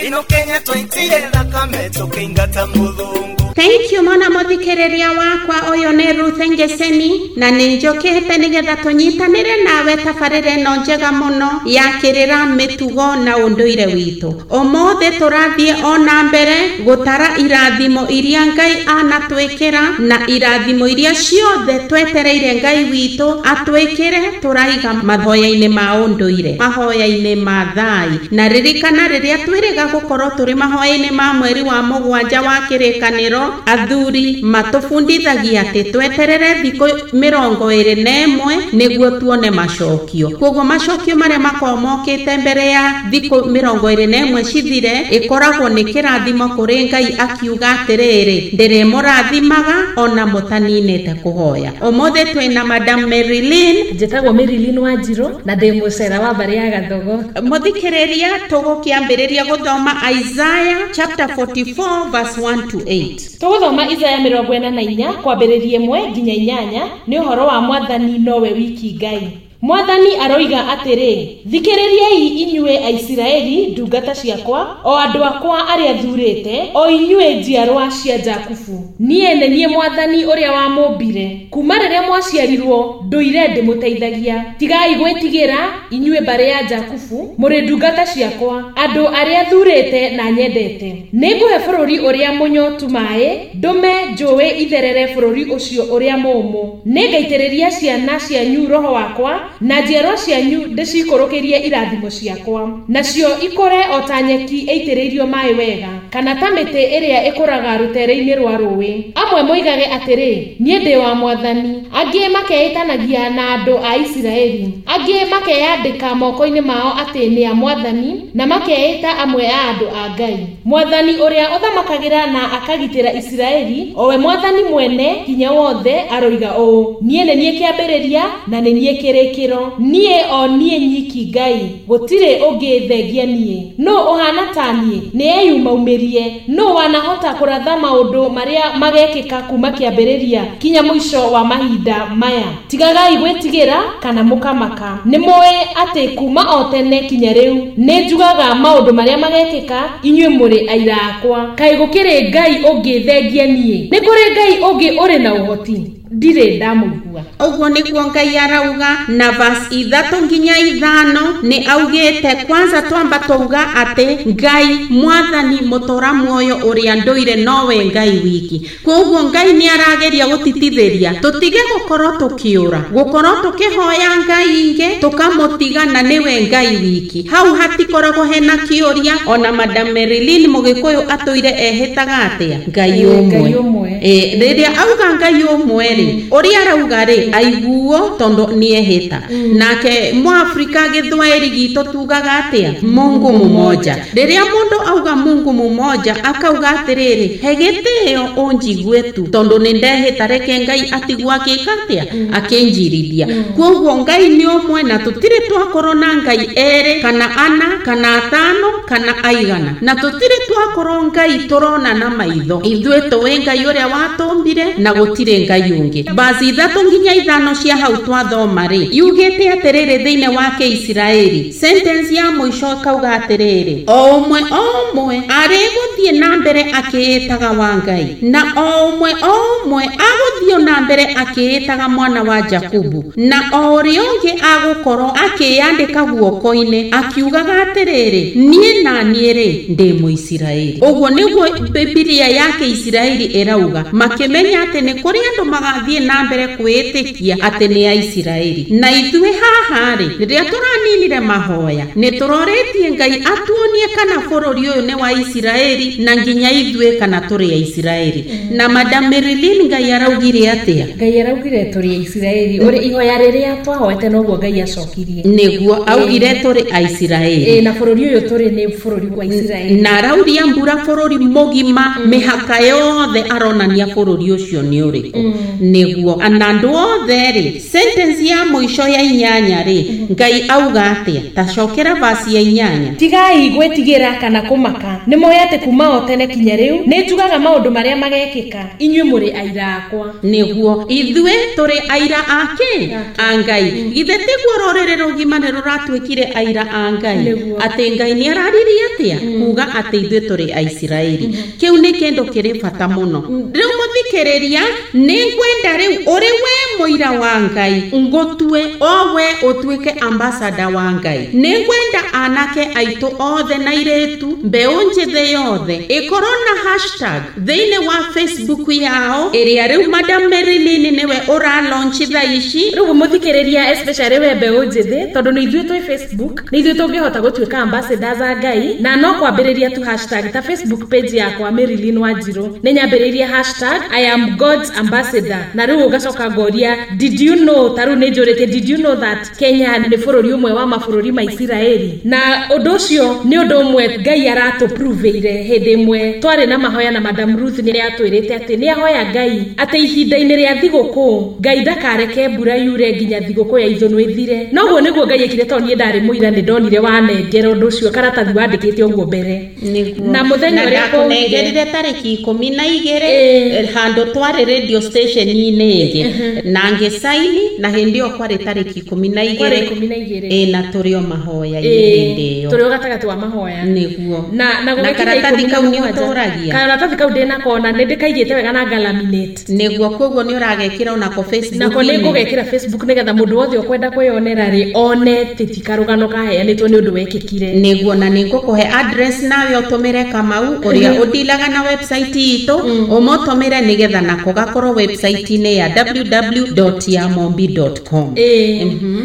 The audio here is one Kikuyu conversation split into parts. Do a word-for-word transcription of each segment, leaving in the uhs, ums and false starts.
Ino Kenya twaitire thakame tũkĩingata mũthũngũ. Thank you mwana muthikiriria wakwa uyu ni Ruth Ngeseni na ni njokete nigetha tunyitanire nawe tabarire no njega muno ya kirira mitugo na unduire witu. Umuthi turathie ona mbere gutara irathimo iria Ngai anatwikira na irathimo iria ciothe twetereire Ngai witu atwikire turaiga mahoya-ini ma unduire, mahoya-ini ma thai. Na ririkana riria twiriga gukorwo turi mahoya-ini ma mweri wa mugwanja wa kirikaniro, athuri matubundithagia ati tweterere thikũ mĩrongo ĩrĩ na ĩmwe nĩguo tuone macokio. Koguo macokio marĩa makoragwo mokĩte mbere ya thikũ mĩrongo ĩrĩ na ĩmwe cithire ĩkoragwo nĩ kĩrathimo kũrĩ Ngai akiuga atĩrĩrĩ, ndĩrĩmũrathimaga ona mũtaninĩte kũhoya. Ũmũthĩ twĩna Madam Marilyn. Njĩtagwo Marilyn Wanjiru na ndĩ mũcera wa mbarĩ ya Gathogo. Mũthikĩrĩria, tũgũkĩambĩrĩria gũthoma Isaiah chapter forty-four verse one to eight. Tũgũthoma Isaiah mĩrongo ĩna na inya kwambĩrĩria ĩmwe nginya inyanya. Nĩ ũhoro wa Mwathani nowe wiki Ngai. Mwathani aroiga atĩrĩ, thikĩrĩriai inyuĩ Aisiraeli ndungata ciakwa, o andũ akwa arĩa thuurĩte, o inyuĩ njiarwa cia Jakubu. Niĩ nĩ niĩ Mwathani ũrĩa wamũmbire. Kuma rĩrĩa mwaciarirwo ndũire ndĩmũteithagia. Tigai gwĩtigĩra inyuĩ mbarĩ ya Jakubu, mũrĩ ndungata ciakwa, andũ arĩa thuurĩte na nyendete. Nĩngũhe bũrũri ũrĩa mũnyotu maĩ, ndũme njũĩ itherere bũrũri ũcio ũrĩa mũũmũ. Nĩngaitĩrĩria ciana cianyu roho wakwa, na njiarwa cianyu ndĩcikũrũkĩrie irathimo ciakwa, nacio ikũre o ta nyeki ĩitĩrĩirio maĩ wega, kana ta mĩtĩ ĩrĩa ĩkũraga rũtere-inĩ rwa rũĩ. Amwe moigage atĩrĩ, niĩ ndĩ wa Mwathani, angĩ makeĩtanagia na andũ a Isiraeli, angĩ makeyandĩka moko-inĩ mao atĩ nĩ a Mwathani, na makeĩta amwe a andũ a Ngai. Mwathani ũrĩa ũthamakagĩra na akagitĩra Isiraeli, o we Mwathani mwene hinya wothe, aroiga ũũ, niĩ nĩ niĩ kĩambĩrĩria na nĩ niĩ kĩrĩkĩro, niĩ o niĩ nyiki Ngai, gũtirĩ ũngĩ thengia niĩ. Nũ ũhana ta niĩ? Nĩ eyumaumĩrie. Nũ wanahota kũratha maũndũ marĩa magekĩka kuma kĩambĩrĩria kinya mũico wa mahinda maya? Tigagai gwĩtigĩra kana mũkamaka. Nĩ mũĩ atĩ kuma o tene kinya rĩu nĩ njugaga maũndũ marĩa magekĩka, inyuĩ mũrĩ aira akwa. Kaĩ gũkĩrĩ Ngai ũngĩ thengia niĩ? Nĩ kũrĩ Ngai ũngĩ ũrĩ na ũhoti? Ndirĩ ndamũigua. Ũguo nĩguo Ngai arauga. Na verse ithatũ nginya ithano nĩ augĩte, kwanza twamba twauga atĩ Ngai Mwathani mũtũra muoyo ũrĩa ndũire nowe Ngai wiki. Koguo Ngai nĩ arageria gũtitithĩria tũtige gũkorwo tũkĩũra, gũkorwo tũkĩhoya Ngai ingĩ tũkamũtiga na nĩwe Ngai wiki. Hau hatikoragwo hena kĩũria. Ona Madam Marilyn Mũgĩkũyũ atũire ehĩtaga atĩa? Ngai ũmwe. Ĩ rĩrĩa auga Ngai ũmwe rĩ, ũrĩa arauga rĩ aiguo tondu nĩ ehĩta. Nake Mwafrika gĩthwaĩri gitũ tugaga atĩa? Mungu mmoja. Rĩrĩa mũndũ auga Mungu mmoja akauga atĩrĩrĩ, he gĩtĩo ũnjigue tu tondu nĩ ndehĩta, reke Ngai atigwo akĩka atĩa? Akĩnjirithia. Koguo Ngai nĩ ũmwe na tũtirĩ twakorwo na Ngai erĩ kana ana kana atano kana aigana, na tũtirĩ twakorwo Ngai tũrona na maitho. Ithuĩ tũĩ Ngai ũrĩa watũmbire na gũtirĩ Ngai ũngĩ. Bazi ithatũ nginya ithano cia hau twathoma rĩ, yugĩte atĩrĩrĩ thĩinĩ wa Kĩisiraeli, sentence ya mũico ĩkauga atĩrĩrĩ, o ũmwe o ũmwe arĩgũthiĩ na mbere akĩĩtaga wa Ngai, na o ũmwe o ũmwe agũthiĩ na mbere akĩĩtaga mwana wa Jakubu, na o ũrĩa ũngĩ agũkorwo akĩyandĩka guoko-inĩ akiugaga atĩrĩrĩ, niĩ na niĩ rĩ ndĩ Mũisiraeli. Ũguo nĩguo Bibilia ya Kĩisiraeli ĩrauga, makĩmenya atĩ nĩ kũrĩ andũ magathiĩ na mbere kwĩĩtĩkia atĩ nĩ Aisiraeli. Na ithuĩ haha rĩ, rĩrĩa tũraninire mahoya nĩ tũrorĩtie Ngai atuonie kana bũrũri ũyũ nĩ wa Isiraeli na nginya ithuĩ kana tũrĩ Aisiraeli. Na Madam Marilyn, Ngai araugire atĩa? Ngai araugire tũrĩ Aisiraeli. Ũrĩ ihoya rĩrĩa twahoete noguo Ngai acokirie. Nĩguo augire tũrĩ Aisiraeli. Ĩ na bũrũri ũyũ tũrĩ nĩ bũrũri wa Isiraeli. Na arauria mbura bũrũri mũgima, mĩhaka yothe aronania bũrũri ũcio nĩ ũrĩkũ. Nĩguo na andũ Andũ othe rĩ, sentence ya mũico ya inyanya rĩ, Ngai auga atĩa? Ta cokera verse ya inyanya. Tigai gwĩtigĩra kana kũmaka, nĩ moĩ atĩ kuma o tene kinya rĩu nĩ njugaga maũndũ marĩa magekĩka, inyuĩ mũrĩ aira akwa. Nĩguo ithuĩ tũrĩ aira ake a Ngai. Githĩ tiguo rũrĩrĩ rũgima nĩ rũratuĩkire aira a Ngai? Atĩ Ngai nĩ araririe atĩa? Kuga atĩ ithuĩ tũrĩ Aisiraeli. Kĩu nĩ kĩndũ kĩrĩ bata mũno. Rĩu mũthikĩrĩria, nĩ ngwenda rĩu ũrĩ we mũira wa Ngai, ngũtue o we ũtuĩke ambassador wa Ngai. Nĩ ngwenda anake aitũ othe na airĩtu, mbeũ njĩthĩ yothe ĩkorwo na hashtag thĩinĩ wa Facebook yao ĩrĩa rĩu Madam Marilyn nĩwe ũra launch thaa ici. Rĩu mũthikĩrĩria, especially we mbeũ njĩthĩ, tondũ nĩ ithuĩ twĩ Facebook, nĩ ithuĩ tũngĩhota gũtuĩka ambassadors a Ngai, na no kwambĩrĩria tu hashtag ta Facebook page yakwa Marilyn Wanjiru, nĩ nyambĩrĩirie hashtag I am God's ambassador, na rĩu ũgacoka ngoria did you know, ta rĩu nĩ njũrĩtie did you know that Kenya nĩ bũrũri ũmwe wa mabũrũri ma Isiraeli? Na ũndũ ũcio nĩ ũndũ ũmwe Ngai aratũproveire. Hĩndĩ ĩmwe twarĩ na mahoya na Madam Ruth nĩ atwĩrĩte atĩ nĩ ahoya Ngai atĩ ihinda-inĩ rĩa thigũkũ Ngai ndakareke mbura yure nginya thigũkũ ya ithũnũ ĩthire. Noguo nĩguo Ngai ekire, tondũ niĩ ndarĩ mũira, nĩ ndonire wanengera ũndũ ũcio karatathi wandĩkĩte ũguo mbere. Na mũthenya ũrĩa ndakũnengerire tarĩki ikũmi na igĩrĩ handũ twarĩ radio station-inĩ ĩngĩ, na ngĩcaini, na hĩndĩ ĩyo kwarĩ tarĩki ikũmi na igĩrĩ ĩ, na tũrĩ o mahoya-inĩ hĩndĩ ĩyo, tũrĩ o gatagatĩ wa mahoya. Nĩguo. Na na karatathi kau nĩ ũtũragia? Karatathi kau ndĩnako na nĩ ndĩkaigĩte wega na ngalaminate. Nĩguo, koguo nĩ ũragekĩra onako Facebook. Nako nĩ ngũgekĩra Facebook nĩgetha mũndũ wothe ũkwenda kwĩyonera rĩ one atĩ ti karũgano kaheanĩtwo nĩ ũndũ wekĩkire. Nĩguo, na nĩ ngũkũhe address nawe ũtũmĩre Kamau ũrĩa ũdilaga na website itũ, ũmũtũmĩre nĩgetha nako gakorwo website-inĩ ya w w w dot yamombi dot com.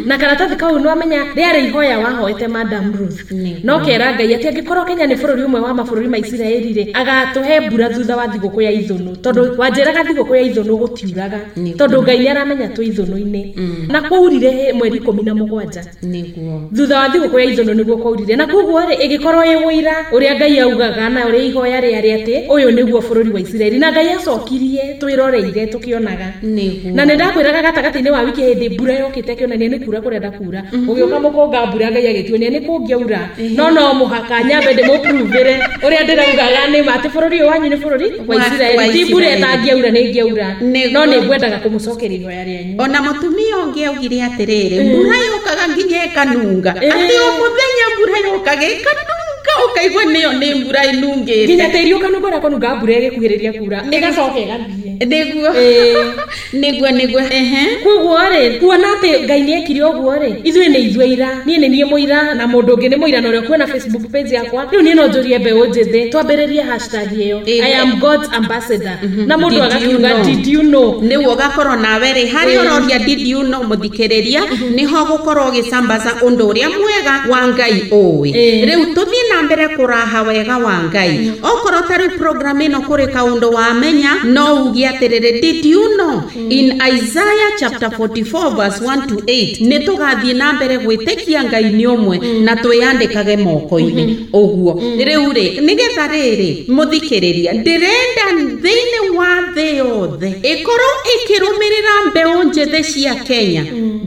Na karatathi kau nĩ wamenya rĩarĩ ihoya wahoete Madam Ruth, no kera Ngai atĩ angĩkorwo Kenya nĩ bũrũri ũmwe wa mabũrũri ma Isiraeli rĩ, agatũhe mbura thutha wa thigũkũ ya ithũnũ, tondũ wanjĩraga thigũkũ ya ithũnũ gũtiuraga, tondũ Ngai nĩ aramenya twĩ ithũnũ-inĩ. Na kwaurire mweri ikũmi na mũgwanja. Nĩguo. Thutha wa thigũkũ ya ithũnũ nĩguo kwaurire, na koguo rĩ ĩgĩkorwo ĩ ũira ũrĩa Ngai augaga na ũrĩa ihoya rĩarĩ atĩ ũyũ nĩguo bũrũri wa Isiraeli, na Ngai acokirie twĩroreire tũkĩonaga. Nĩguo. Na nĩ ndakwĩraga gatagatĩ-inĩ wa wiki hĩndĩ mbura yokĩte ĩkĩonania nĩ kura kũrenda kura, ũgĩũka mũkũnga mbura Ngai agĩtuonia nĩ kũngĩaura, no no mũhaka nyambe ndĩmũpruvĩre ũrĩa ndĩraugaga nĩ ma atĩ bũrũri ũyũ wanyu nĩ bũrũri wa Isiraeli, ti mbura ĩtangĩaura nĩ ĩngĩaura, no nĩ ngwendaga kũmũcokeria ihoya rĩanyu. Ona mũtumia ũngĩ augire atĩrĩrĩ, mbura yũkaga nginya ĩkanunga, atĩ o mũthenya mbura yũkaga ĩkanunga, ũkaigua nĩyo nĩ mbura ĩnungĩte, nginya tĩri ũkanunga ũrĩa kũnunga mbura ĩgĩkuhĩrĩria kura, ĩgacoka ĩgathiĩ. Nĩguo. Nĩguo, nĩguo. Koguo rĩ, kuona atĩ Ngai nĩ ekire ũguo rĩ, ithuĩ nĩ ithuĩ aira, niĩ nĩ niĩ mũira na mũndũ ũngĩ nĩ mũira, na ũrĩa ũkuona Facebook page yakwa. Rĩu niĩ no njũrie mbeũ njĩthĩ twambĩrĩrie hashtag ĩyo I am God's ambassador, na mũndũ agakiuga did you know, nĩguo ũgakorwo nawe rĩ harĩa ũroria did you know mũthikĩrĩria, nĩho gũkorwo ũgĩcambaca ũndũ ũrĩa mwega wa Ngai ũĩ. Rĩu tũthiĩ na mbere kũraha wega wa Ngai. Okorwo ta rĩu program ĩno kũrĩ kaũndũ wamenya, no uge atĩrĩrĩ did you know in Isaiah chapter forty-four verse one to eight, nĩ tũgathiĩ na mbere gwĩtĩkia Ngai nĩ ũmwe na twĩyandĩkage moko-inĩ ũguo. Rĩu rĩ, nĩgetha rĩrĩ mũthikĩrĩria, ndĩrenda thĩinĩ wa thĩ yothe ĩkorwo ĩkĩrũmĩrĩra mbeũ njĩthĩ cia Kenya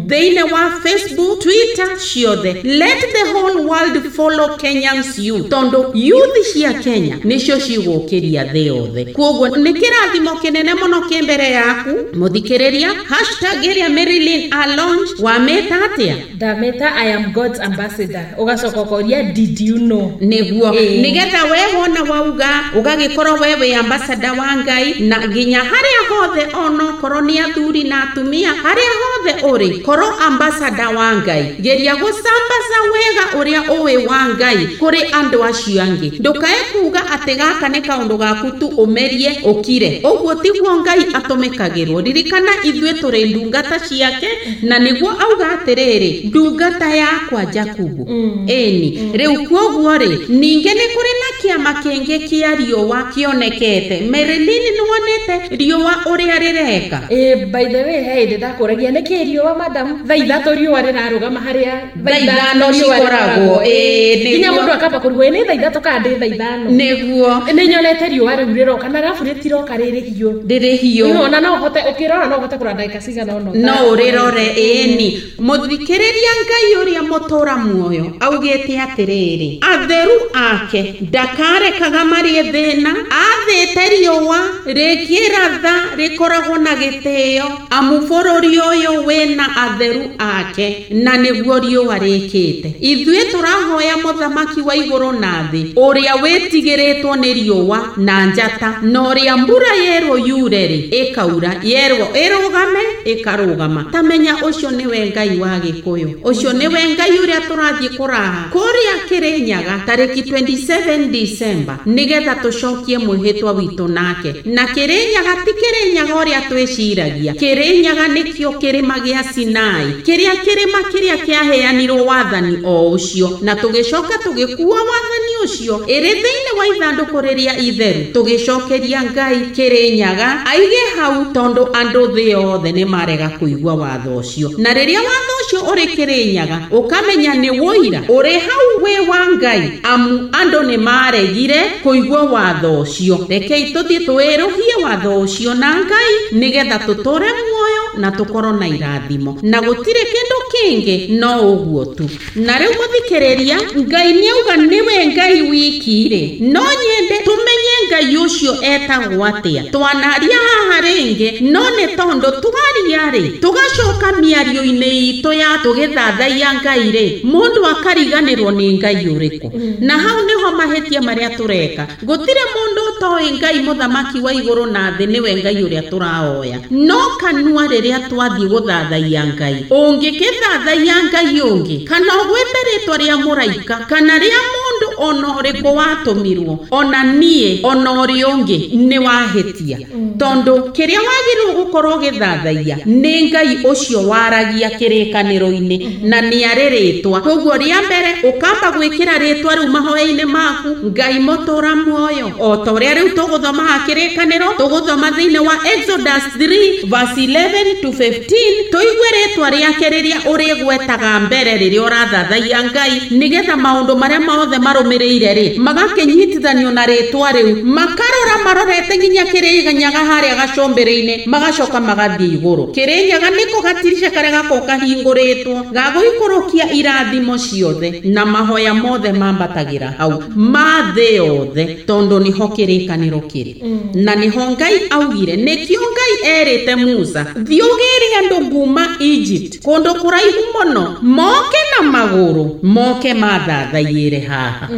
thĩinĩ wa Facebook, Twitter ciothe. Let the whole world follow Kenyans youth, tondũ youth cia Kenya nĩcio cigũkĩria thĩ yothe. Koguo nĩ kĩrathimo kĩnene mũno kĩ mbere yaku mũthikĩrĩria. Hashtag ĩrĩa Marilyn a launch wamĩta atĩa? Ndamĩta I am God's ambassador, ũgacoka ũkoria did you know. Nĩguo, nĩgetha we wona wauga ũgagĩkorwo we wĩ ambassador wa Ngai, na nginya harĩa hothe onokorwo nĩ athuri na atumia, harĩa hothe ũrĩ korwo ambassador wa Ngai. Geria gũcambaca wega ũrĩa ũĩ wa Ngai kũrĩ andũ acio angĩ. Ndũkae kuga atĩ gaka nĩ kaũndũ gaku tu ũmerie ũkire, ũguo tiguo Ngai atũmĩkagĩrwo. Ririkana ithuĩ tũrĩ ndungata ciake, na nĩguo auga atĩrĩrĩ, ndungata yakwa Jakubu. Ĩni rĩu koguo rĩ, ningĩ nĩ kũrĩ na kĩama kĩngĩ kĩa riũa kĩonekete. Marilyn nĩwonete riũa ũrĩa rĩreka? Eh, by the way, hey, ndakũragia nĩkĩ riũa madam thaa ithatũ riũa rĩrarũgama harĩa thaa ithano cikoragwo. Ĩĩ, nginya mũndũ akamba kũrigwo nĩ thaa ithatũ kana ndĩ thaa ithano. Nĩguo nĩ nyonete riũa rĩu rĩroka na arabu rĩtiroka rĩrĩ hiũ, rĩrĩ hiũ, ona no ũhote ũkĩrora no ũhote kũrora ndagĩka cigana ũna no ũrĩrore. Ĩni mũthikĩrĩria Ngai ũrĩa mũtũra muoyo augĩte atĩrĩrĩ, atheru ake ndakarekaga marĩe thĩna, athĩte riũa rĩkĩratha rĩkoragwo na gĩtĩo, amu bũrũri ũyũ wĩna atheru ake na nĩguo riũa rĩkĩte. Ithuĩ tũrahoya mũthamaki wa igũrũ na thĩ ũrĩa wĩtigĩrĩtwo nĩ riũa na njata, na ũrĩa mbura yerwo yure rĩ ĩkaura, yerwo ĩrũgame ĩkarũgama. Tamenya ũcio nĩwe Ngai wa Gĩkũyũ, ũcio nĩwe Ngai ũrĩa tũrathiĩ kũraha kũrĩa Kĩrĩnyaga tarĩki twenty-seven December nĩgetha tũcokie mwĩhĩtwa witũ nake. Na Kĩrĩnyaga ti Kĩrĩnyaga ũrĩa twĩciragia, Kĩrĩnyaga nĩkĩo kĩrĩma gĩa Sinai, kĩrĩa kĩrĩma kĩrĩa kĩaheanirwo wathani o ũcio, na tũgĩcoka tũgĩkua wathani ũcio ĩrĩ thĩinĩ wa ithandũkũ rĩrĩa itheru, tũgĩcokeria Ngai Kĩrĩnyaga aige hau, tondũ andũ thĩ yothe nĩ marega kũigua watho ũcio. Na rĩrĩa watho ũcio ũrĩ Kĩrĩnyaga ũkamenya nĩ wũira ũrĩ hau wĩ wa Ngai, amu andũ nĩ maregire kũigua watho ũcio. Rekei tũthiĩ twĩrũhie watho ũcio na Ngai nĩgetha tũtũre muoyo na tũkorwo na irathimo, na gũtirĩ kĩndũ kĩngĩ no ũguo tu. Na rĩu mũthikĩrĩria, Ngai nĩauga nĩwe Ngai wiki rĩ, no nyende tũmenye Ngai ũcio etagwo atĩa. Twanaria haha rĩngĩ, no nĩ tondũ twaria rĩ tũgacoka mĩario-inĩ itũ ya tũgĩthathaiya Ngai rĩ, mũndũ akariganĩrwo nĩ Ngai ũrĩkũ. Na hau nĩho mahĩtia marĩa tũreka. Gũtirĩ mũndũ ũtoĩ Ngai mũthamaki wa igũrũ na thĩ nĩwe Ngai ũrĩa tũraoya, no kanua rĩrĩa twathiĩ gũthathaiya Ngai, ũngĩkĩthathaiya Ngai ũngĩ kana ũgwĩte rĩtwa rĩa mũraika kana rĩa mũndũ ona ũrĩkũ watũmirwo, ona niĩ ona ũrĩa ũngĩ, nĩ wahĩtia. Tondũ kĩrĩa wagĩrĩirwo gũkorwo ũgĩthathaiya nĩ Ngai ũcio waragia kĩrĩkanĩro-inĩ na nĩ arĩ rĩtwa. Koguo rĩa mbere ũkamba gwĩkĩra rĩtwa rĩu mahoya-inĩ maku, Ngai mũtũra muoyo, o ta ũrĩa rĩu tũgũthoma haha kĩrĩkanĩro, tũgũthoma thĩinĩ wa Exodus three verse eleven to fifteen, tũigue rĩtwa rĩake rĩrĩa ũrĩgwetaga mbere rĩrĩa ũrathathaiya Ngai, nĩgetha maũndũ marĩa mothe marũmĩrĩire rĩ magakĩnyitithanio na rĩtwa rĩu, makarora marorete nginya Kĩrĩnyaga harĩa gacũmbĩrĩ-inĩ, magacoka magathiĩ igũrũ. Kĩrĩnyaga nĩko gatirisha karĩa gakoragwo kahingũrĩtwo gagũikũrũkia irathimo ciothe na mahoya mothe mambatagĩra hau ma thĩ yothe, tondũ nĩho kĩrĩkanĩro kĩrĩ. Na nĩho Ngai augire, nĩkĩo Ngai erĩte Musa, thiĩ ũgĩre andũ nguma Egypt kũndũ kũraihu mũno, moke na magũrũ, moke mathathaiyĩre haha.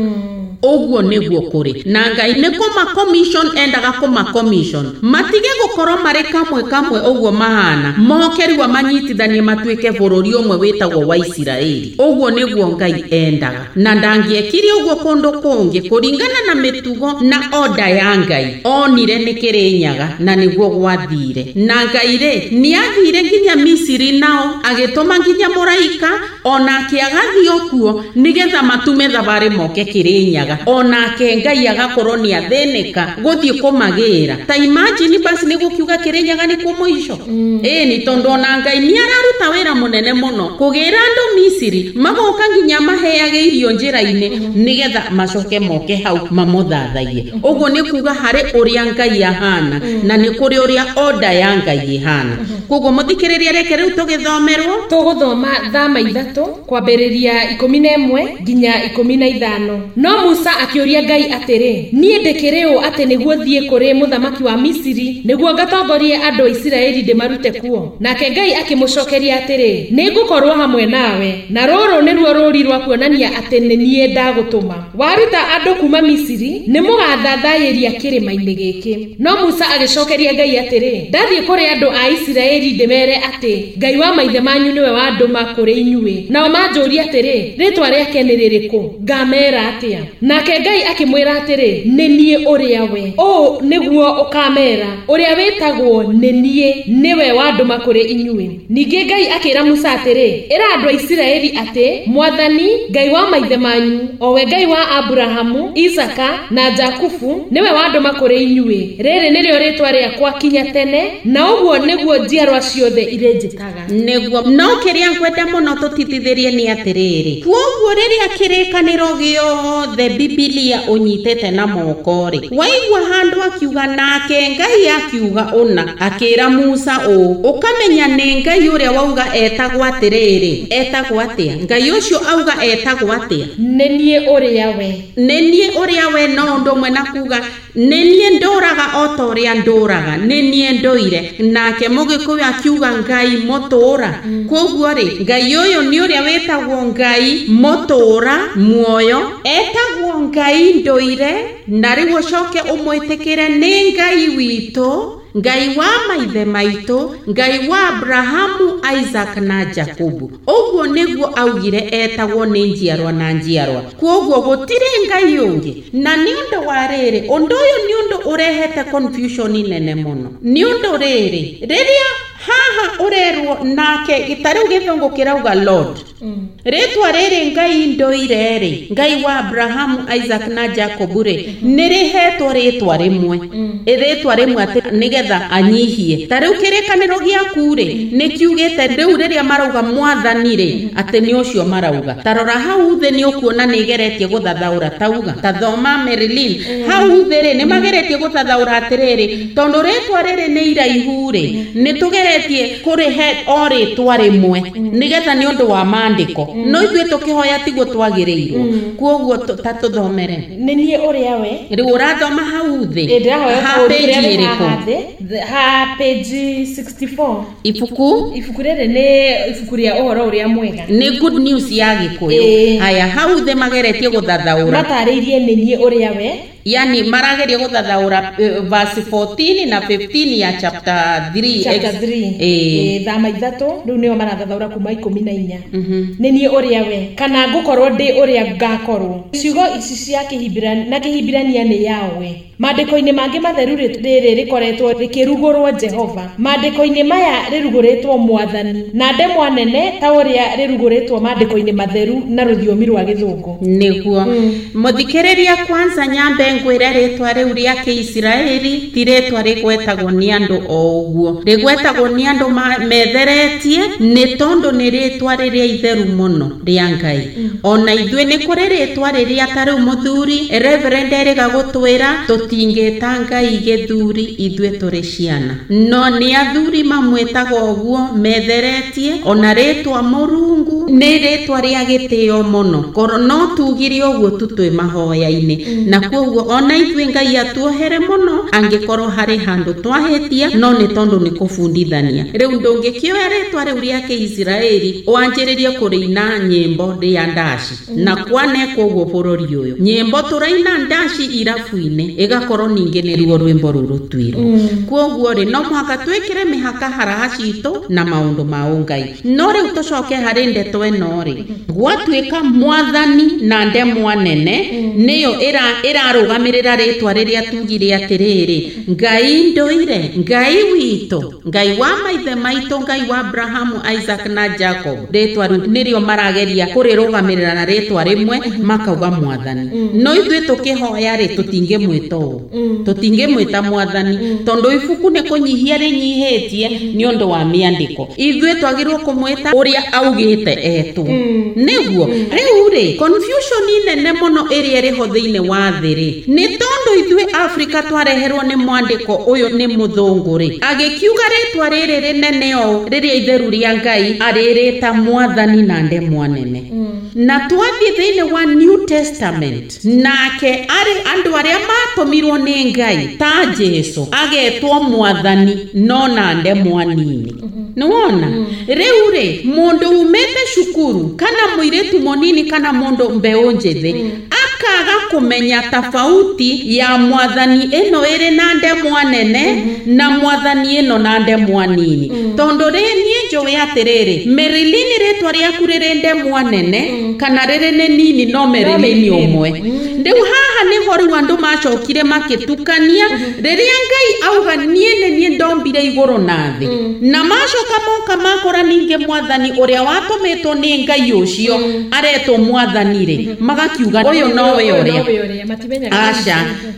Ũguo nĩguo kũrĩ. Na Ngai nĩ kũma commission endaga kũma commission matige gũkorwo marĩ kamwe kamwe ũguo mahana, moke rĩu manyitithanie matuĩke bũrũri ũmwe wĩtagwo wa Isiraeli. Ũguo nĩguo Ngai endaga, na ndangĩekire ũguo kũndũ kũngĩ kũringana na mĩtugo na oda ya Ngai. Onire nĩ Kĩrĩnyaga na nĩguo gwathire. Na Ngai rĩ nĩathire nginya Misiri nao agĩtũma nginya mũraika onake agathiĩ o kuo nĩgetha matume thabarĩ moke Kĩrĩnyaga, onake Ngai agakorwo nĩ athĩnĩka gũthiĩ kũmagĩra. Ta imagine basi nĩ gũkiuga Kĩrĩnyaga nĩkuo mũico. Ĩni tondũ ona Ngai nĩ araruta wĩra mũnene mũno kũgĩra andũ Misiri magoka nginya maheage irio njĩra-inĩ nĩgetha macoke moke hau mamũthathaiye. Ũguo nĩ kuga harĩ ũrĩa Ngai ahana na nĩ kũrĩ ũrĩa oda ya Ngai ĩhana. Koguo mũthikĩrĩria, reke rĩu tũgĩthomerwo. Tũgũthoma thama ithatũ kwambĩrĩria ikũmi na ĩmwe nginya ikũmi na ithano. No Musa akĩũria Ngai atĩrĩ, niĩ ndĩkĩrĩ ũ atĩ nĩguo thiĩ kũrĩ mũthamaki wa Misiri nĩguo ngatongorie andũ a Isiraeli ndĩmarute kuo? Nake Ngai akĩmũcokeria atĩrĩ, nĩngũkorwo hamwe nawe, na rũrũ nĩruo rũũri rwa kuonania atĩ nĩ niĩ ndagũtũma. Waruta andũ kuma Misiri, nĩmũgathathayĩria kĩrĩma-inĩ gĩkĩ. No Musa agĩcokeria Ngai atĩrĩ, ndathiĩ kũrĩ andũ a Isiraeli ndĩmere atĩ Ngai wa maithe manyu nĩwe wandũma kũrĩ inyuĩ, nao manjũrie atĩrĩ, rĩtwa rĩake nĩ rĩrĩkũ? Ngamera atĩa? Nake Ngai akĩmwĩra atĩrĩ, nĩ niĩ ũrĩa we. Ũũ nĩguo ũkamera, ũrĩa wĩtagwo nĩ niĩ nĩwe wandũma kũrĩ inyuĩ. Ningĩ Ngai akĩra Musa atĩrĩ, ĩra andũ a Isiraeli atĩ Mwathani Ngai wa maithe manyu, o we Ngai wa Aburahamu, Isaka na Jakubu, nĩwe wandũma kũrĩ inyuĩ. Rĩrĩ nĩrĩo rĩtwa rĩakwa kinya tene, na ũguo nĩguo njiarwa ciothe irĩnjĩtaga. Nĩguo no kĩrĩa ngwenda mũno tũtitithĩrie nĩ atĩrĩrĩ, kwoguo rĩrĩa kĩrĩkanĩro gĩothe Bibilia ũnyitĩte na moko rĩ, waigua handũ akiuga nake Ngai akiuga ũna, akĩra Musa ũũ, ũkamenya nĩ Ngai ũrĩa wauga etagwo atĩrĩrĩ, etagwo atĩa? Ngai ũcio auga etagwo atĩa? Nĩ niĩ ũrĩa we. Nĩ niĩ ũrĩa we, no ũndũ ũmwe na kuga nĩ niĩ ndũraga o ta ũrĩa ndũraga, nĩ niĩ ndũire. Nake Mũgĩkũyũ akiuga Ngai mũtũra. Kwoguo rĩ, Ngai ũyũ nĩ ũrĩa wĩtagwo Ngai mũtũra muoyo, etagwo Ngai ndũire, na rĩu ũcoke ũmwĩtĩkĩre nĩ Ngai witũ, Ngai wa maithe maitũ, Ngai wa Abrahamu, Isaac na Jakubu. Ũguo nĩguo augire etagwo nĩ njiarwa na njiarwa. Kwoguo gũtirĩ Ngai ũngĩ. Na nĩ ũndũ wa rĩrĩ, ũndũ ũyũ nĩ ũndũ ũrehete confusion nene mũno. Nĩ ũndũ rĩrĩ, rĩrĩa haha ũrerwo nake ta rĩu gĩthũngũ kĩrauga Lord, rĩtwa rĩrĩ Ngai ndũire rĩ, Ngai wa Abrahamu, Isaac na Jacob rĩ, nĩ rĩhetwo rĩtwa rĩmwe, rĩtwa rĩmwe atĩ nĩgetha anyihie. Ta rĩu kĩrĩkanĩro gĩaku rĩ, nĩ kiugĩte rĩu rĩrĩa marauga mwathani rĩ, atĩ nĩ ũcio marauga. Ta rora hau thĩ nĩ ũkuona nĩ ĩgeretie gũthathaũra, tauga ta thoma Marilyn, hau thĩ rĩ nĩ mageretie gũthathaũra atĩrĩrĩ, tondũ rĩtwa rĩrĩ nĩ iraihu rĩ, nĩ tũgeretie kũrĩhe o rĩtwa rĩmwe nĩgetha nĩ ũndũ wa maandĩko, no ithuĩ tũkĩhoya tiguo twagĩrĩirwo. Kwoguo ta tũthomere Nĩ niĩ ũrĩa we. Rĩu ũrathoma hau thĩ, Ndĩrahoya ha page ĩrĩkũ? Ha page sixty-four. Ibuku ibuku rĩrĩ nĩ ibuku rĩa ũhoro ũrĩa mwega, nĩ good news ya Gĩkũyũ. Haya, hau thĩ mageretie gũthathaũra, matarĩirie nĩ niĩ ũrĩa we, yani marageria gũthathaũra uh, verse fourteen na fifteen ya chapter three. Chapter three eh thama ithatũ rĩu nĩo marathathaũra kuma ikũmi na inya. Nĩ niĩ ũrĩa we, kana ngũkorwo ndĩ ũrĩa ngakorwo. Ciugo ici cia Kĩhibirania na Kĩhibirania nĩ Yahweh. Maandĩko-inĩ mangĩ matheru rĩrĩ rĩkoretwo rĩkĩrugũrwo Jehova, maandĩko-inĩ maya rĩrugũrĩtwo Mwathani, na ndemwa nene ta ũrĩa rĩrugũrĩtwo maandĩko-inĩ matheru na rũthiomi rwa Gĩthũngũ. Nĩguo mũthikĩrĩria, kwanza nyambe ngwĩre rĩtwa rĩu rĩa Kĩisiraeli ti rĩtwa rĩgwetagwo nĩ andũ o ũguo, rĩgwetagwo nĩ andũ metheretie, nĩ tondũ nĩ rĩtwa rĩrĩa itheru mũno rĩa Ngai. Ona ithuĩ nĩ kũrĩ rĩtwa rĩrĩa ta rĩu mũthuri Reverend erĩga gũtwĩra tũtingĩta Ngai gĩthuri, ithuĩ tũrĩ ciana, no nĩ athuri mamwĩtaga ũguo metheretie. Ona rĩtwa Mũrungu nĩ rĩtwa rĩa gĩtĩo mũno, korwo no tugire ũguo tu twĩ mahoya-inĩ. Na kwoguo ona ithuĩ Ngai atuohere mũno angĩkorwo harĩ handũ twahĩtia, no nĩ tondũ nĩ kũbundithania. Rĩu ndũngĩkĩoya rĩtwa rĩu rĩa Kĩisiraeli wanjĩrĩrie kũrĩina nyĩmbo rĩa ndaci, na kwanekwo ũguo bũrũri ũyũ nyĩmbo tũraina ndaci irabu-inĩ ĩgakorwo ningĩ nĩruo rwĩmbo rũu rũtuirwo. Kwoguo rĩ, no mũhaka twĩkĩre mĩhaka haraha citũ na maũndũ ma ũngai. No rĩu tũcoke harĩ ndeto ĩno rĩ, gwatuĩka mwathani na ndemwa nene nĩyo ĩrarũgamĩrĩra rĩtwa rĩrĩa tugire atĩrĩrĩ, Ngai ndũire, Ngai witũ, Ngai wa maithe maitũ, Ngai wa Abrahamu, Isaac na Jacob. Rĩtwa rĩu nĩrĩo marageria kũrĩrũgamĩrĩra na rĩtwa rĩmwe makauga mwathani. No ithuĩ tũkĩhoya rĩ, tũtingĩmwĩta ũũ, tũtingĩmwĩta mwathani, tondũ ibuku nĩ kũnyihia rĩnyihĩtie nĩ ũndũ wa mĩandĩko. Ithuĩ twagĩrĩirwo kũmwĩta ũrĩa augĩte etwo. Nĩguo rĩu rĩ, confusion nene mũno ĩrĩa ĩrĩho thĩinĩ wa thĩ rĩ, nĩ tondũ ithuĩ Afrika twareherwo nĩ mwandĩko ũyũ nĩ mũthũngũ rĩ, agĩkiuga rĩtwa rĩrĩ rĩnene ũũ rĩrĩa itheru rĩa Ngai arĩrĩta mwathani na ndemwa nene. Na twathiĩ thĩinĩ wa New Testament, nake arĩ andũ arĩa matũmirwo nĩ Ngai ta Jesu agetwo mwathani no na ndemwa nini. Nĩwona rĩu rĩ, mũndũ umĩte cukuru kana mũirĩtu mũnini kana mũndũ mbeũ njĩthĩ akaga kũmenya tofauti ya mwathani ĩno ĩrĩ na ndemwa nene na mwathani ĩno na ndemwa nini. Tondũ rĩ, niĩ njũĩ atĩrĩrĩ Marilyn rĩtwa rĩaku rĩrĩ ndemwa nene mm. kana rĩrĩ nĩ nini no Marilyn ũmwe mm. Rĩu haha nĩho rĩu andũ macokire makĩtukania rĩrĩa Ngai auga niĩ nĩ niĩ ndombire igũrũ na thĩ mm. na macoka moka makora ningĩ mwathani ũrĩa watũmĩtwo nĩ Ngai ũcio mm. aretwo mwathani rĩ mm. magakiuga ũyũ nowe ũrĩa aca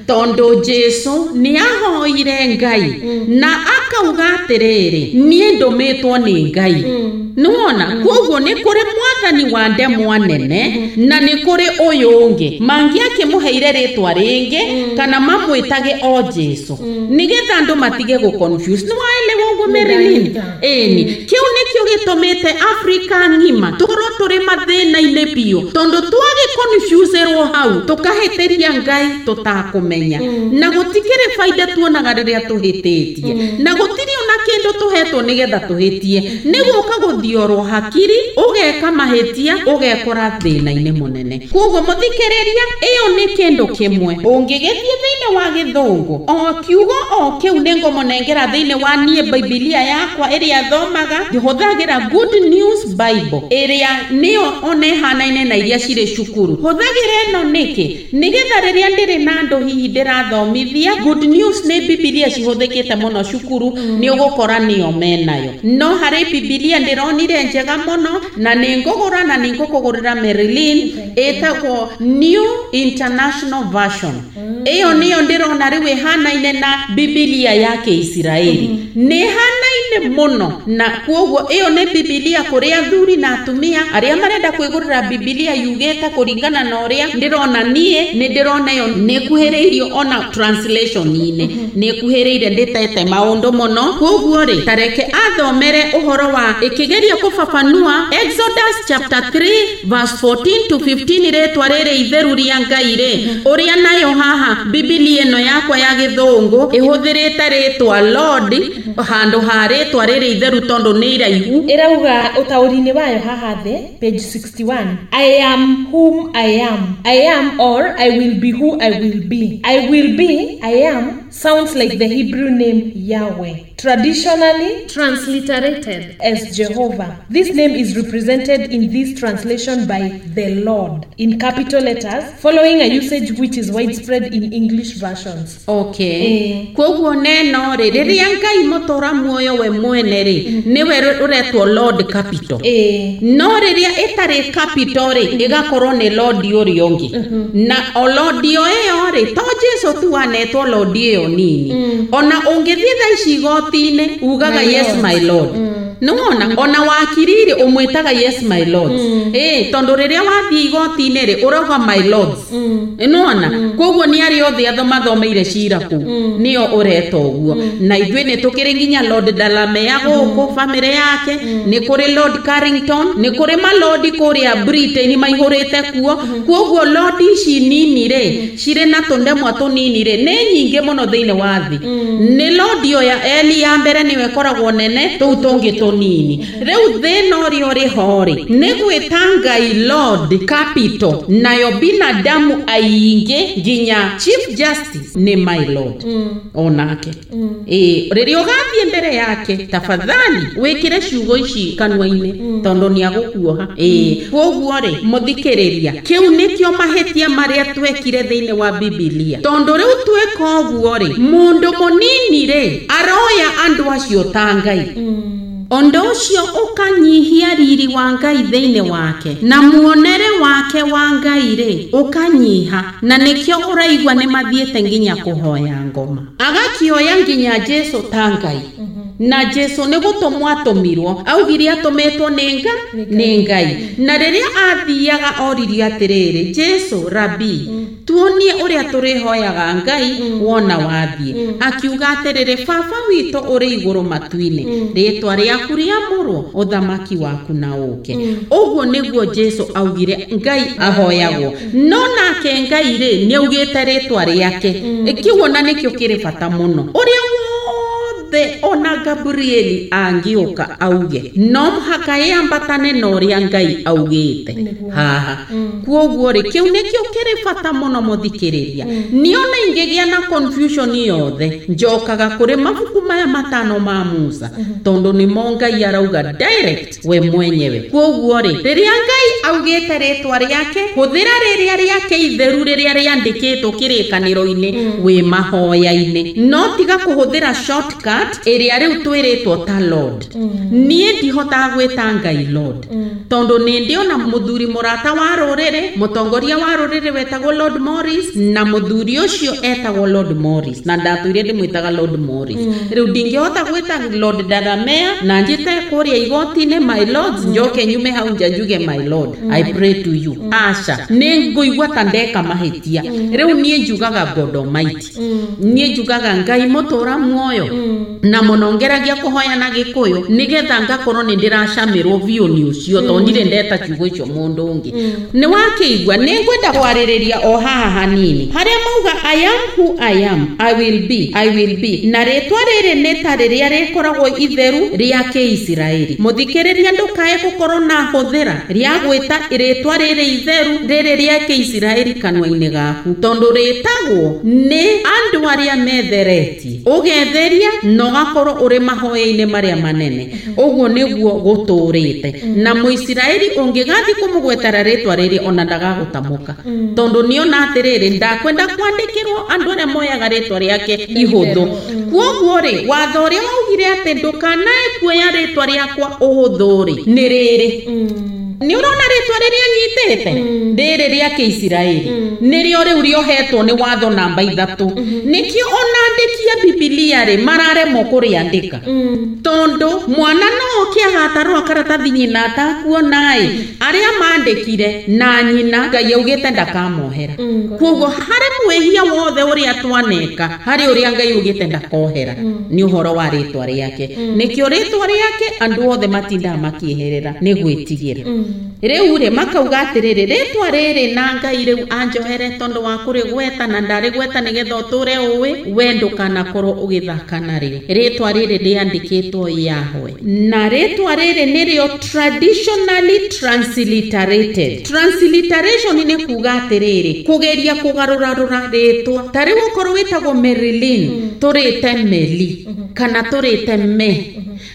tondũ Jesu nĩ ahoire Ngai mm. na akauga atĩrĩrĩ niĩ ndũmĩtwo nĩ Ngai mm. nĩwona mm. koguo nĩ kũrĩ mwathani wa ndemwa nene mm. na nĩ kũrĩ ũyũ ũngĩ mangĩakĩmũheire rĩtwa rĩngĩ mm. kana mamwĩtage o Jesu mm. nĩgetha andũ matige gũ confuse nĩwaelewa ũguo Marilyn ĩni kĩu nĩkĩo gĩtũmĩte Afrika ng'ima tũkorwo tũrĩ mathĩna-inĩ biũ tondũ twagĩ confuse-rwo hau tũkahĩtĩria Ngai tũtakũmenya mm. na gũtikĩrĩ baida tuonaga rĩrĩa tũhĩtĩtie mm. na gũtirĩ ona kĩndũ tũhetwo nĩgetha tũhĩtie nĩ gũka gũthiorwo hakiri ũgeka mahĩtia ũgekora thĩna-inĩ mũnene koguo mũthikĩrĩria ĩyo nĩ kĩndũ kĩmwe ũngĩgĩthiĩ thĩinĩ wa gĩthũngũ o kiugo o kĩu nĩ ngũmũnengera thĩinĩ wa niĩ Bibilia yakwa ĩrĩa thomaga hũthagĩra Good News Bible ĩrĩa nĩyo ona ĩhanaine na iria cirĩ cukuru hũthagĩra ĩno nĩkĩ nĩgetha rĩrĩa ndĩrĩ na andũ hihi ndĩrathomithia Good News nĩ Bibilia cihũthĩkĩte mũno cukuru mm. nĩ ũgũkora nĩyo menayo no harĩ Bibilia ndĩronire njega mũno na nĩ ngũgũra na nĩ ngũkũgũrĩra Marilyn ĩtagwo New International Version ĩyo nĩyo ndĩrona rĩu ĩhanaine na Bibilia ya Kĩisiraeli nĩ ĩhanaine mũno na koguo ĩyo nĩ Bibilia kũrĩ athuri na atumia arĩa marenda kwĩgũrĩra Bibilia yugĩte kũringana na ũrĩa ndĩrona niĩ nĩ ndĩrona ĩyo nĩ ĩkuhĩrĩirio ona translation-inĩ nĩ ĩkuhĩrĩire ndĩtete maũndũ mũno koguo rĩ tareke athomere ũhoro wa ĩkĩgeria kũfafanua Exodus chapter three verse fourteen to fifteen rĩtwa rĩrĩ itheru rĩa Ngai rĩ ũrĩa nayo haha Bibilia ĩno yakwa ya gĩthũngũ ĩhũthĩrĩte rĩtwa Lord handũ ha rĩtwa rĩrĩ itheru tondũ nĩ iraihu ĩrauga ũtaũri-inĩ wayo haha thĩ page sixty-one I am whom I am I am or I will be who I will be I will be I am sounds like the Hebrew name Yahweh traditionally transliterated as Jehovah. This name is represented in this translation by the Lord in capital letters, following a usage which is widespread in English versions. Okay. Eh. Koguo neno rĩ rĩrĩa Ngai mũtũra muoyo we mwene rĩ nĩwe ũretwo Lord capital. Eh. No rĩrĩa ĩtarĩ capital rĩ ĩgakorwo nĩ Lord ũrĩa ũngĩ. Na o Lord ĩyo rĩ to Jesu tu anetwo Lord ĩyo nini. Ona ũngĩthiĩ thaa ici igoti-inĩ ugaga yes my Lord. Mm. Nĩwona ona wakiriri ũmwĩtaga yes my Lord. Mm. Eh tondũ rĩrĩa wathiĩ igoti-inĩ rĩ ũrauga my lords. Mm. Nĩwona mm. koguo nĩ arĩa othe athomathomeire cira kũu mm. nĩo ũreta ũguo. Mm. Na ithuĩ nĩ tũkĩrĩ nginya Lord Dalamea gũkũ mm. family yake mm. nĩ kũrĩ Lord Carrington nĩ kũrĩ malordi kũrĩa Britain maihũrĩte kuo. Mm. Koguo lord ici nini rĩ mm. cirĩ na tũndemwa tũnini rĩ nĩ nyingĩ mũno thĩinĩ wa thĩ. Mm. Nĩ lord ya Eli ya mbere nĩwe ĩkoragwo nene tũu tũngĩ tũnini. Rĩu thĩna ũrĩa ũrĩ ho rĩ nĩ gwĩta Ngai Lord capital nayo binadamu aingĩ nginya Chief Justice nĩ my Lord. Mm. Onake. Mm. Ĩ rĩrĩa ũgathiĩ mbere yake tafadhali wĩkĩre ciugo ici kanua-inĩ mm. tondũ nĩ agũkuoha. Ĩ koguo rĩ mũthikĩrĩria kĩu nĩkĩo mahĩtia marĩa twekire thĩinĩ wa Bibilia tondũ rĩu tweka ũguo rĩ mũndũ mũnini rĩ aroya andũ acio ta Ngai. Mm. Ũndũ ũcio ũkanyihia riri wa Ngai thĩinĩ wake na muonere wake wa Ngai rĩ ũkanyiha na nĩkĩo ũraigua nĩ mathiĩte nginya kũhoya ngoma agakĩoya nginya Jesu ta Ngai. Mm -hmm. Na Jesu nĩ gũtũmwo atũmirwo augire atũmĩtwo nĩ nga nĩ Ngai na rĩrĩa athiaga oririe atĩrĩrĩ Jesu rabi mm. tuonie ũrĩa tũrĩhoyaga Ngai mm. wona wathiĩ. Mm. Akiuga atĩrĩrĩ baba witũ ũrĩ igũrũ matu-inĩ mm. rĩtwa rĩaku rĩamũrwo ũthamaki waku na ũke. Mm. Ũguo nĩguo Jesu augire Ngai ahoyagwo no nake Ngai rĩ nĩ augĩte rĩtwa rĩake. Mm. Kĩu ona nĩkĩo kĩrĩ bata mũno ũrĩa wothe ona Gabrieli angĩũka auge no mũhaka ĩambatane na ũrĩa Ngai augĩte haha. Kwoguo rĩ, kĩu nĩkĩo kĩrĩ bata mũno mũthikĩrĩria. Niĩ ona ingĩgĩa na confusion yothe njokaga kũrĩ mabuku maya matano ma Musa, tondũ nĩmo Ngai arauga direct we mwenyewe. Kwoguo rĩ, rĩrĩa Ngai augĩte rĩtwa rĩake, hũthĩra rĩrĩa rĩake itheru rĩrĩa rĩandĩkĩtwo kĩrĩkanĩro-inĩ wĩ mahoya-inĩ, no tiga kũhũthĩra shortcut ĩrĩa rĩu twĩrĩtwo ta Lord. Niĩ ndihotaga gwĩta Ngai Lord, tondũ nĩ ndĩona mũthuri mũrata wa rũrĩrĩ, mũtongoria wa rũrĩrĩ wetagwo Lord Morris, na mũthuri ũcio etagwo Lord Morris, na ndatũire ndĩmwĩtaga Lord Morris. Rĩu ndingĩhota gwĩta Lord Daramea na njĩte kũrĩa igoti-inĩ my lords, njoke nyume hau nja njuge my lord I pray to you. Aca, nĩ ngũigua ta ndeka mahĩtia. Rĩu niĩ njugaga God Almighty, niĩ njugaga Ngai mũtũra muoyo, na mũno ngeragia kũhoya na Gĩkũyũ nĩgetha ngakorwo nĩ ndĩracamĩrwo biũ nĩ ũcio, tondũ ndirĩ ndeta kiugo icio mũndũ ũngĩ. Nĩ wakĩigua nĩ ngwenda kwarĩrĩria o haha hanini harĩa mauga I am who I am, I will be, I will be, na rĩtwa rĩrĩ nĩ ta rĩrĩa rĩkoragwo itheru rĩa Kĩisiraeli. Mũthikĩrĩria ndũkae gũkorwo na hũthĩra rĩa gwĩta rĩtwa rĩrĩ itheru rĩrĩ rĩa Kĩisiraeli kanua-inĩ gaku, tondũ rĩtagwo nĩ andũ arĩa metheretie, ũgetheria na ũgakorwo ũrĩ mahoya-inĩ marĩa manene. Ũguo nĩguo gũtũrĩte. Na Mũisiraeli ũngĩgathiĩ kũmũgwetera rĩtwa rĩrĩ ona ndagagũtamũka, tondũ nĩona atĩrĩrĩ, ndakwenda kwandĩkĩrwo andũ arĩa moyaga rĩtwa rĩake ihũthũ. Kwoguo rĩ, watho ũrĩa waugire atĩ ndũkanae kuoya rĩtwa rĩakwa ũhũthũ rĩ, nĩ rĩrĩ. Nĩ ũrona rĩtwa rĩrĩa nyitĩte rĩrĩ rĩa Kĩisiraeli nĩrĩo rĩu rĩohetwo nĩ watho namba ithatũ. Nĩkĩo ona andĩki a Bibilia rĩ mararemwo kũrĩandĩka, tondũ mwana no oke agatarũra karatathi nyina atakuona-ĩ, arĩa mandĩkire na nyina Ngai augĩte ndakamohera. Kwoguo harĩ mwĩhia wothe ũrĩa twaneka, harĩ ũrĩa Ngai augĩte ndakohera nĩ ũhoro wa rĩtwa rĩake. Nĩkĩo rĩtwa rĩake andũ othe matindaga makĩeherera nĩ gwĩtigĩra. Rĩu rĩ makauga atĩrĩrĩ, rĩtwa rĩrĩ na Ngai rĩu anjohere tondũ wa kũrĩgweta na ndarĩgweta nĩgetha ũtũre ũĩ, we ndũkanakorwo ũgĩthaka narĩo. Rĩtwa rĩrĩ rĩandĩkĩtwo Yahweh, na rĩtwa rĩrĩ nĩrĩo traditionally transliterated. Transliteration nĩ kuga atĩrĩrĩ, kũgeria kũgarũrarũra rĩtwa. Ta rĩu okorwo wĩtagwo Marilyn, tũrĩte Meli kana tũrĩte Me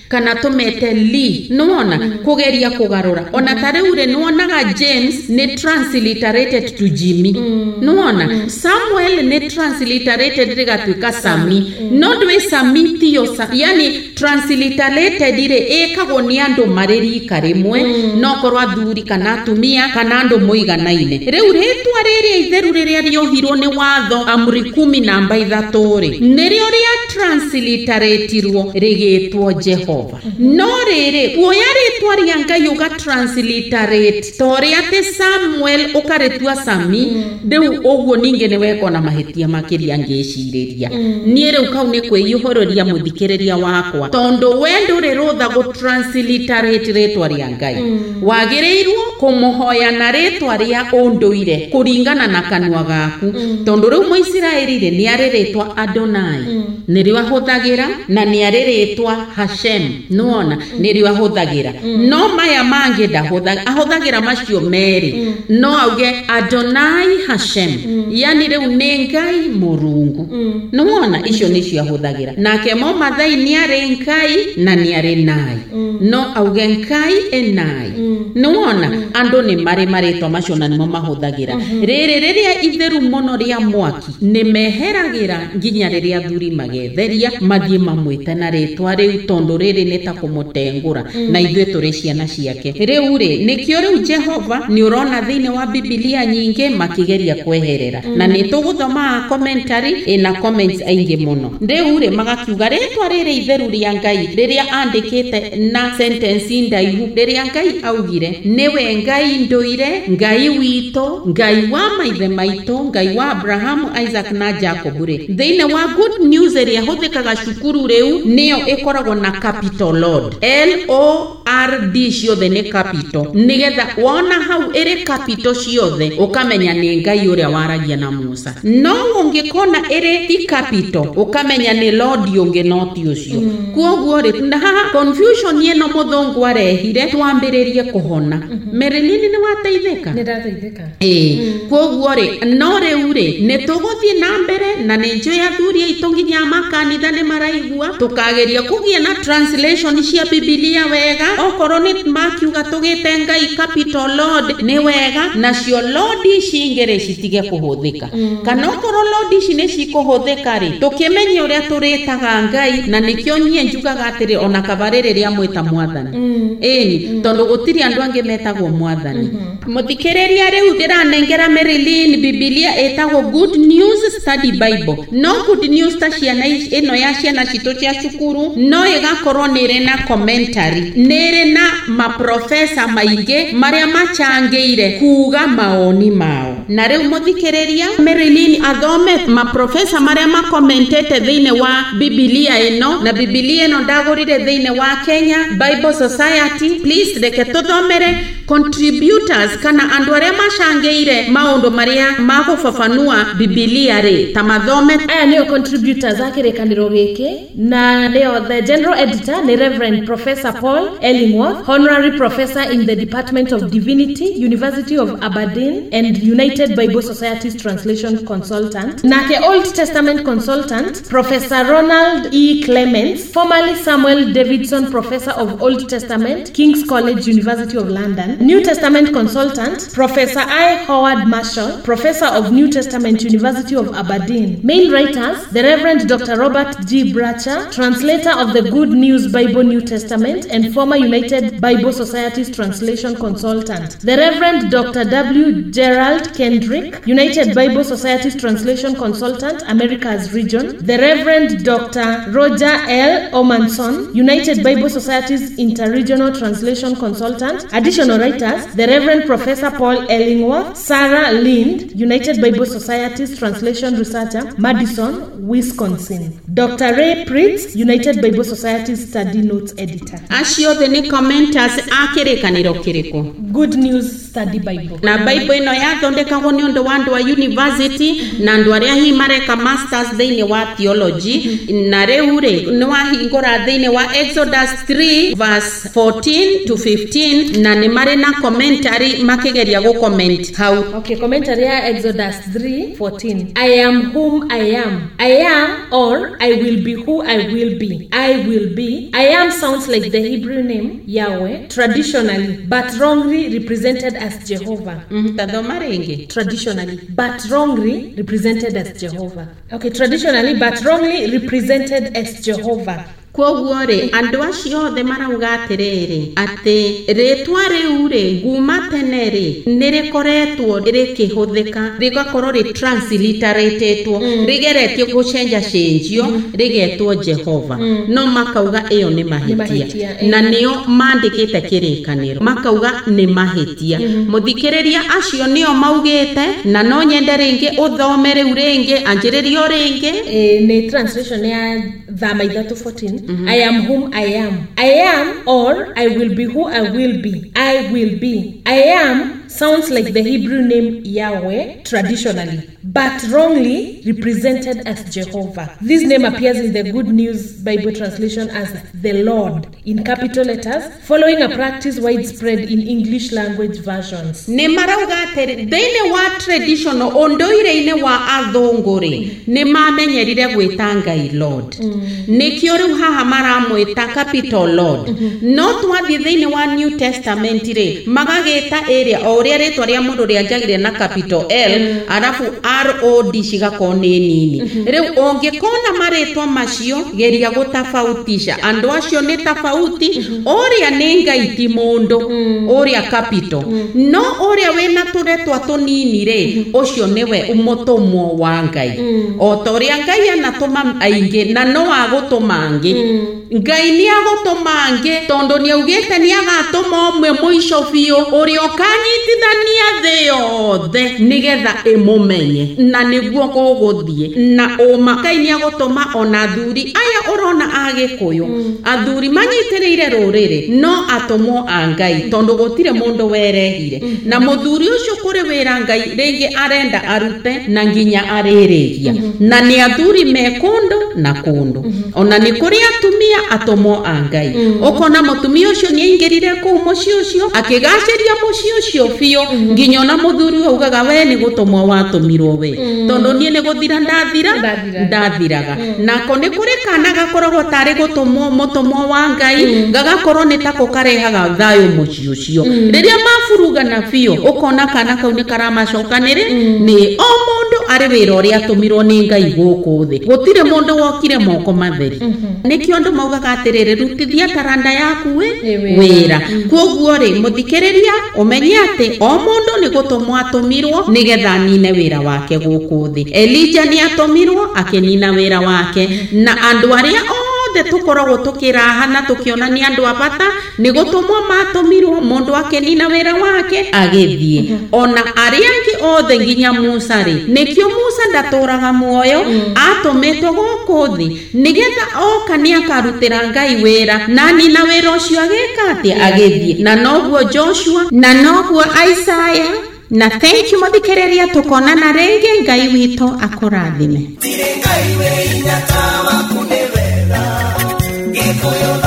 kana tũmete Lee, nĩwona kũgeria kũgarũra. Ona ta rĩu rĩ, nĩwonaga James nĩ transliterated to Jimmy, nĩwona Samuel nĩ transliterated rĩgatuĩka Sami, no ndwĩ Sami tiyo sa, yani transliterated rĩ ĩkagwo nĩ andũ marĩ rika rĩmwe, no korwo athuri kana atumia kana andũ mũiganaine. Rĩu rĩtwa rĩrĩa itheru rĩrĩa rĩohirwo nĩ watho amri kumi namba ithatũ rĩ, nĩrĩo rĩa transliteratirwo rĩgĩtwo Jehova. No rĩrĩ, kuoya rĩtwa rĩa Ngai ũga transliterate ta ũrĩa atĩ Samuel ũkarĩtua Sami, rĩu ũguo ningĩ nĩ wekwo na mahĩtia makĩria ngĩcirĩria. Niĩ rĩu kau nĩ kwĩihũrĩria mũthikĩrĩria wakwa, tondũ we ndũrĩ rũtha gũ transliterate rĩtwa rĩa Ngai. Wagĩrĩirwo kũmũhoya na rĩtwa rĩa ũndũire kũringana na kanua gaku, tondũ rĩu Mũisiraeli rĩ nĩ arĩ rĩtwa Adonai nĩrĩo ahũthagĩra, na nĩ arĩ rĩtwa Hashem, nĩwona nĩrĩo ahũthagĩra. No maya mangĩ ndahũthagĩra, ahũthagĩra macio merĩ, no auge Adonai Hashem, yani rĩu nĩ Ngai Mũrungu, nĩwona icio nĩcio ahũthagĩra. Nake Mũmathai nĩ arĩ Ngai na nĩ arĩ Nai, no auge Ngai enai, nĩwona andũ nĩ marĩ marĩtwa macio na nĩmo mahũthagĩra. Rĩrĩ rĩrĩa itheru mũno rĩa mwaki nĩ meheragĩra nginya rĩrĩa athuri magetheria mathiĩ mamwĩte na rĩtwa rĩu, tondũ rĩrĩ nĩ ta kũmũtengũra, na ithuĩ tũrĩ ciana ciake. Rĩu rĩ, nĩkĩo rĩu Jehova nĩ ũrona thĩinĩ wa Bibilia nyingĩ makĩgeria kweherera, na nĩ tũgũthoma commentary ĩna comments aingĩ mũno. Rĩu rĩ magakiuga rĩtwa rĩrĩ itheru rĩa Ngai rĩrĩa andĩkĩte na na sentence ndaihu rĩrĩa Ngai augire nĩwe Ngai ndũire, Ngai witũ, Ngai wa maithe maitũ, Ngai wa Abrahamu, Isaac na Jacob rĩ, thĩinĩ wa Good News ĩrĩa ĩhũthĩkaga cukuru rĩu nĩyo ĩkoragwo na capital Lord, L O R D ciothe nĩ capital, nĩgetha wona hau ĩrĩ capital ciothe ũkamenya nĩ Ngai ũrĩa waragia na Musa. No ũngĩkona ĩrĩ ti capital ũkamenya nĩ Lord ũngĩ no ti ũcio. Kwoguo rĩ, na haha confusion ĩno mũthũngũ arehire twambĩrĩrie kũhona. Marilyn nĩ wateithĩka? Nĩ ndateithĩka. Ĩĩ, kwoguo rĩ, no rĩu rĩ nĩ tũgũthiĩ na mbere na nĩ njũĩ athuri aitũ nginya makanitha nĩ maraigua, tũkageria kũgĩa na translation cia Bibilia wega. Okorwo nĩ makiuga tũgĩte Ngai capital Lord nĩ wega, nacio Lord ici ingĩ rĩ citige kũhũthĩka. Kana okorwo Lord ici nĩ cikũhũthĩka rĩ, tũkĩmenye ũrĩa tũrĩtaga Ngai, na nĩkĩo niĩ njugaga atĩrĩ ona kabarĩ rĩrĩa mwĩta mwathani. Ĩni, tondũ gũtirĩ andũ angĩ metagwo mwathani. Mũthikĩrĩria rĩu ndĩranengera Marilyn Bibilia ĩtagwo Good News Study Bible. No Good News ta ciana ĩno ya ciana citũ cia cukuru no ĩgakorwo nĩ ĩrĩ na commentary, nĩ ĩrĩ na maprofesa maingĩ marĩa machangĩire kuga maoni mao. Na rĩu mũthikĩrĩria Marilyn athome maprofesa marĩa makomentete thĩinĩ wa Bibilia ĩno, na Bibilia ĩno ndagũrire thĩinĩ wa Kenya Bible Society. Please reke tũthomere contributors kana andũ arĩa macangĩire maũndũ marĩa magũbabanua Bibilia rĩ, ta mathome. Aya nĩo contributors a kĩrĩkanĩro gĩkĩ, na nĩo the general editor nĩ Reverend Professor Paul Ellingworth, honorary professor in the Department of Divinity, University of Aberdeen and United Bible Society's translation consultant. Nake Old Testament consultant Professor Ronald E. Clements, formerly Samuel Davidson Professor of Old Testament, King's College, University of London. New Testament consultant Professor I. Howard Marshall, Professor of New Testament, University of Aberdeen. Main writers, the Reverend Doctor Robert G. Bratcher, translator of the Good News Bible New Testament and former United Bible Society's translation consultant. The Reverend Doctor W. Gerald Kendrick, United Bible Society's translation consultant, Americas region. The Reverend Doctor Roger L. Omanson, United Bible Society's interregional translation consultant. Additional writers, the Reverend Professor Paul Ellingworth, Sarah Lind, United Bible Society's translation researcher, Madison, Wisconsin. Doctor Ray Pritz, United Bible Society's study notes editor. Acio othe nĩ commenters a kĩrĩkanĩro kĩrĩkũ? Good News Study Bible. Na Bible ĩno yathondekagwo nĩ ũndũ wa andũ a university na andũ arĩa hihi mareka masters thĩinĩ wa theology. Na rĩu rĩ nĩ wahingũra thĩinĩ wa Exodus three verse fourteen to fifteen, na nĩ marĩ na commentary makĩgeria gũ comment hau. Okay, commentary ya Exodus three fourteen. I am whom I am. I am, or I will be who I will be. I will be. I am sounds like the Hebrew name Yahweh traditionally, but wrongly represented as Jehovah. Mm, tathoma rĩngĩ. Traditionally, but wrongly represented as Jehovah. Okay, traditionally, but wrongly represented as Jehovah. Kwoguo rĩ, andũ acio othe marauga atĩrĩrĩ, atĩ rĩtwa rĩu rĩ, nguma tene rĩ, nĩ rĩkoretwo rĩkĩhũthĩka, rĩgakorwo rĩ transliteratetwo, rĩgeretio gũcenjacenjio, rĩgetwo Jehova. No makauga ĩyo nĩ mahĩtia. Na nĩo mandĩkĩte kĩrĩkanĩro, makauga nĩ mahĩtia. Mũthikĩrĩria acio nĩo maugĩte, na no nyende rĩngĩ ũthome rĩu rĩngĩ, anjĩrĩrio rĩngĩ. Nĩ translation ya Thama ithatũ fourteen. Mm-hmm. I am whom I am. I am, or I will be who I will be. I will be. I am sounds like the Hebrew name Yahweh traditionally, but wrongly represented as Jehovah. This name appears in the Good News Bible translation as the Lord in capital letters, following a practice widespread in English language versions. Nĩ marauga atĩrĩ, thĩinĩ wa traditional ũndũire-inĩ wa athũngũ rĩ, nĩ mamenyerire gwĩta Ngai Lord. Nĩkĩo rĩu haha maramwĩta capital Lord. No twathiĩ thĩinĩ wa New Testament rĩ, magagĩta ĩrĩa o ũrĩa rĩtwa rĩa mũndũ rĩanjagĩrĩria na capital L arabu R O D cigakorwo nĩ nini. Rĩu ũngĩkona marĩtwa macio geria gũtofautisha andũ acio nĩ tofauti, ũrĩa nĩ Ngai ti mũndũ, ũrĩa capital, no ũrĩa wĩna tũretwa tũnini rĩ, ũcio nĩwe mũtũmwo wa Ngai. O ta ũrĩa Ngai anatũma aingĩ na no agũtũma angĩ. Ngai nĩ agũtũma angĩ tondũ nĩ augĩte nĩ agatũma ũmwe mũico biũ ũrĩa ũkanyitithania thĩ yothe nĩgetha ĩmũmenye, na nĩguo gũgũthiĩ na ũma. Ngai nĩ agũtũma ona athuri aya ũrona Agĩkũyũ, athuri manyitĩrĩire rũrĩrĩ no atũmwo a Ngai tondũ gũtirĩ mũndũ werehire, na mũthuri ũcio kũrĩ wĩra Ngai rĩngĩ arenda arute na nginya arĩrĩkia, na nĩ athuri me kũndũ na kũndũ. Ona nĩ kũrĩ atumia atũmwo a Ngai, ũkona mũtumia ũcio nĩ aingĩrire kũu mũciĩ ũcio akĩgacĩria mũciĩ ũcio biũ nginya ona mũthuri augaga we nĩ gũtũmwo watũmirwo we, tondũ niĩ nĩ gũthira ndathira ndathiraga. Nako nĩ kũrĩ kana gakoragwo tarĩ gũtũmwo mũtũmwo wa Ngai gagakorwo nĩ tako karehaga thayũ mũciĩ ũcio. Rĩrĩa maburugana biũ ũkona kana kau nĩ karamacokanĩrĩ nĩ o mũndũ arĩ wĩra ũrĩa atũmirwo nĩ Ngai gũkũ thĩ, gũtirĩ mũndũ wokire moko matheri. Nĩkĩo andũ maugaga atĩrĩrĩ, rutithia taranda yaku wĩ wĩra. Kwoguo rĩ, mũthikĩrĩria ũmenye atĩ o mũndũ nĩ gũtũmwo atũmirwo nĩgetha anine wĩra wake gũkũ thĩ. Elijah nĩ atũmirwo akĩnina wĩra wake, na andũ arĩa othe tũkoragwo tũkĩraha na tũkĩona nĩ andũ a bata nĩ gũtũmwo matũmirwo, mũndũ akĩnina wĩra wake agĩthiĩ. Ona arĩa angĩ othe nginya Musa rĩ, nĩkĩo Musa ndatũraga muoyo, atũmĩtwo gũkũ thĩ nĩgetha oka nĩ akarutĩra Ngai wĩra, na nina wĩra ũcio agĩka atĩa? Agĩthiĩ. Na noguo Joshua, na noguo Isaiah. Na thank you mũthikĩrĩria, tũkonana rĩngĩ. Ngai witũ akũrathime. Tirĩ Ngai wĩ hinya ta waku nĩ wega. Gĩkũyũ.